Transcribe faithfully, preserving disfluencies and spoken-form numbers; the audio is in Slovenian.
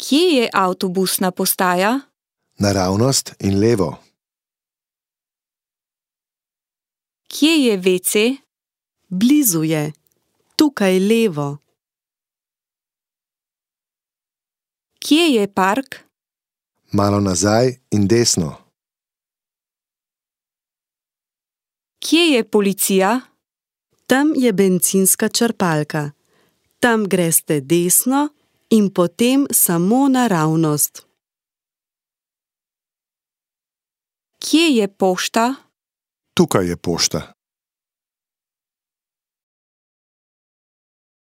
Kje je avtobusna postaja? Naravnost in levo. Kje je ve ce? Blizu je. Tukaj levo. Kje je park? Malo nazaj in desno. Kje je policija? Tam je bencinska črpalka. Tam greste desno in potem samo naravnost. Kje je pošta? Tukaj je pošta.